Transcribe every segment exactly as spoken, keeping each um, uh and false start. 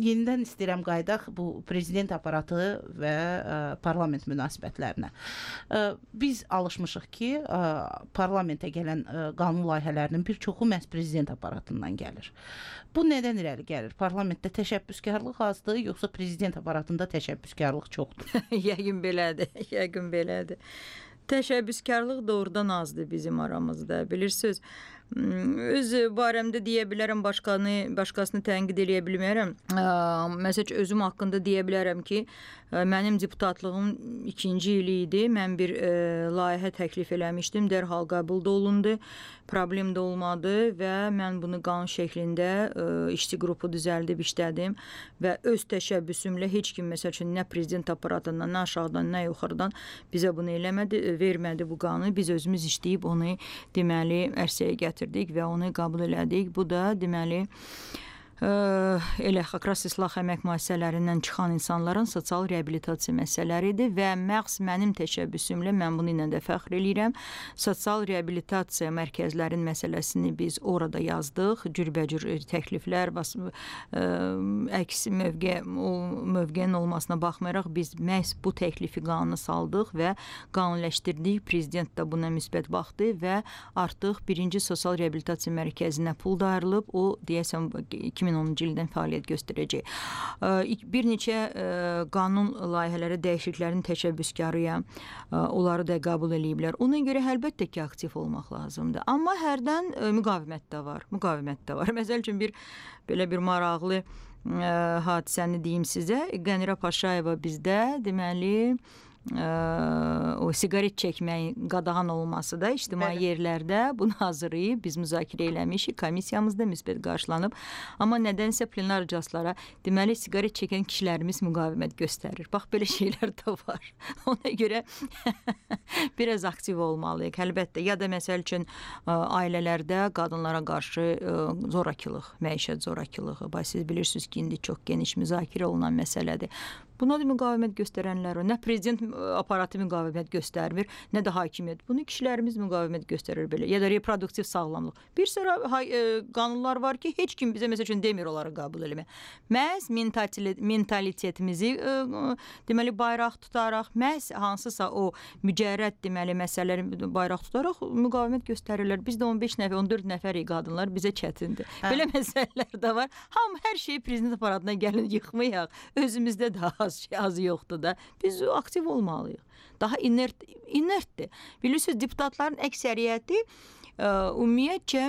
yenidən istəyirəm qaydaq bu prezident aparatı və ə, parlament münasibətlərinə. Ə, biz alışmışıq ki, ə, parlamentə gələn ə, qanun layihələrinin bir çoxu məhz prezident aparatından gəlir. Bu nədən irəli gəlir? Parlamentdə təşəbbüskarlıq azdır, yoxsa prezident aparatında təşəbbüskarlıq çoxdur? Yəqin belədir, yəqin belədir. Təşəbbüskarlıq doğrudan azdır bizim aramızda. Bilirsiniz, öz barəmdə deyə bilərəm, başqanı, başqasını tənqid eləyə bilmərəm. Məsələn, özüm haqqında deyə bilərəm ki, mənim deputatlığım ikinci ili idi. Mən bir e, layihə təklif eləmişdim, dərhal qəbul da olundu, problem də olmadı və mən bunu qanun şəklində e, işçi qrupu düzəldib işlədim və öz təşəbbüsümlə heç kim, məsələn, nə prezident aparatından, nə aşağıdan, nə yuxarıdan bizə bunu eləmədi, vermədi bu qanunu. Biz özümüz işləyib onu deməli ərsəyə gətirdik və onu qəbul elədik. Bu da deməli Ə, elə xakras islah əmək müəssisələrindən çıxan insanların sosial reabilitasiya məsələləridir və məhz mənim təşəbbüsümlə mən bunu ilə də fəxr eləyirəm. Sosial reabilitasiya mərkəzlərin məsələsini biz orada yazdıq. Cürbəcür təkliflər, ə, əks mövqe, o mövqenin olmasına baxmayaraq biz məhz bu təklifi qanuna saldıq və qanunləşdirdik. Prezident də buna müsbət baxdı və artıq birinci sosial reabilitasiya mərkəzinə pul da ayrılıb. O deyəsən iki min onuncu ildən fəaliyyət göstərəcək. Bir neçə qanun layihələri dəyişikliklərin təşəbbüskarıyam. Onları da qəbul eləyiblər. Ona görə əlbəttə ki, aktiv olmaq lazımdır. Amma hərdən müqavimət də var. Müqavimət də var. Məsəl üçün bir belə bir maraqlı hadisəni deyim sizə. Qənirə Paşayeva bizdə deməli o siqaret çəkməyin qadağan olması da ictimai yerlərdə bunu hazırlayıb biz müzakirə eləmişik, komissiyamızda müsbət qarşılanıb. Amma nədənsə plenar iclaslara deməli siqaret çəkən kişilərimiz müqavimət göstərir. Bax, belə şeylər də var. Ona görə biraz aktiv olmalıyıq, əlbəttə. Ya da məsəl üçün ailələrdə qadınlara qarşı zorakılıq, məişət zorakılığı. Bax, siz bilirsiniz ki, indi çox geniş müzakirə olunan məsələdir. Buna da müqavimət göstərənlər var. Nə prezident aparatı müqavimət göstərmir, nə də hakimiyyət. Bunu kişilərimiz müqavimət göstərir belə. Ya da reproduktiv sağlamlıq. Bir sıra e, qanunlar var ki, heç kim bizə məsəl üçün demir onları qəbul eləmək. Məhz mentalitetimizi e, deməli bayraq tutaraq, məhz hansısa o mücərrəd deməli məsələləri bayraq tutaraq müqavimət göstərirlər. Bizdə on beş nəfər, on dörd nəfərik qadınlar, bizə çətindir. Hə. Belə məsələlər də var. Hamı hər şeyi prezident aparatına gəlin yıxmayaq. Özümüzdə də az şey az yoxdur da. Biz aktiv olmalıyıq. Daha inert, inertdir. Bilirsiniz, deputatların əksəriyyəti ə, ümumiyyətcə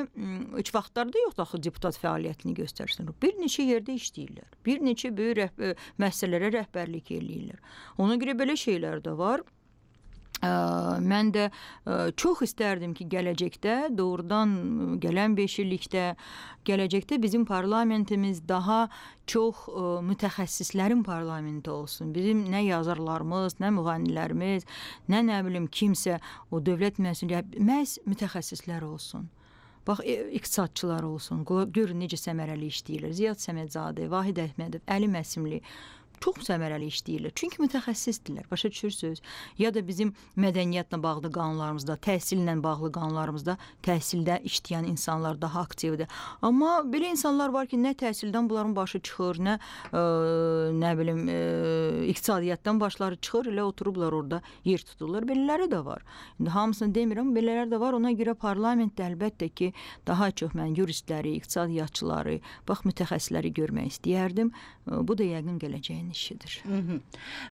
üç vaxtlarda yoxdur axı deputat fəaliyyətini göstərsin. Bir neçə yerdə işləyirlər. Bir neçə böyük rəhbər, müəssisələrə rəhbərlik eləyirlər. Ona görə belə şeylər də var. Ə, mən də ə, çox istərdim ki, gələcəkdə, doğrudan gələn beş illikdə, gələcəkdə bizim parlamentimiz daha çox ə, mütəxəssislərin parlamenti olsun. Bizim nə yazarlarımız, nə müğənnilərimiz, nə nə bilim kimsə o dövlət məsuliyyəti, məhz mütəxəssislər olsun. Bax, iqtisadçılar olsun. Görün necə səmərəli işləyirlər. Ziyad Səmədzadə, Vahid Əhmədov, Əli Məsimli çox səmərəli işləyirlər. Çünki mütəxəssisdirlər, başa düşürsünüz. Ya da bizim mədəniyyətlə bağlı qanunlarımızda, təhsillə bağlı qanunlarımızda təhsildə işləyən insanlar daha aktivdir. Amma belə insanlar var ki, nə təhsildən bunların başı çıxır, nə ə, nə bilim ə, iqtisadiyyatdan başları çıxır, elə oturublar orada yer tuturlar. Belələri də var. İndi hamısını demirəm, belələri də var. Ona görə parlamentdə əlbəttə ki, daha çox mən yuristləri, iqtisadiyyatçıları, bax mütəxəssisləri görmək istəyərdim. Bu da yəqin gələcəyin işidir. Hı -hı.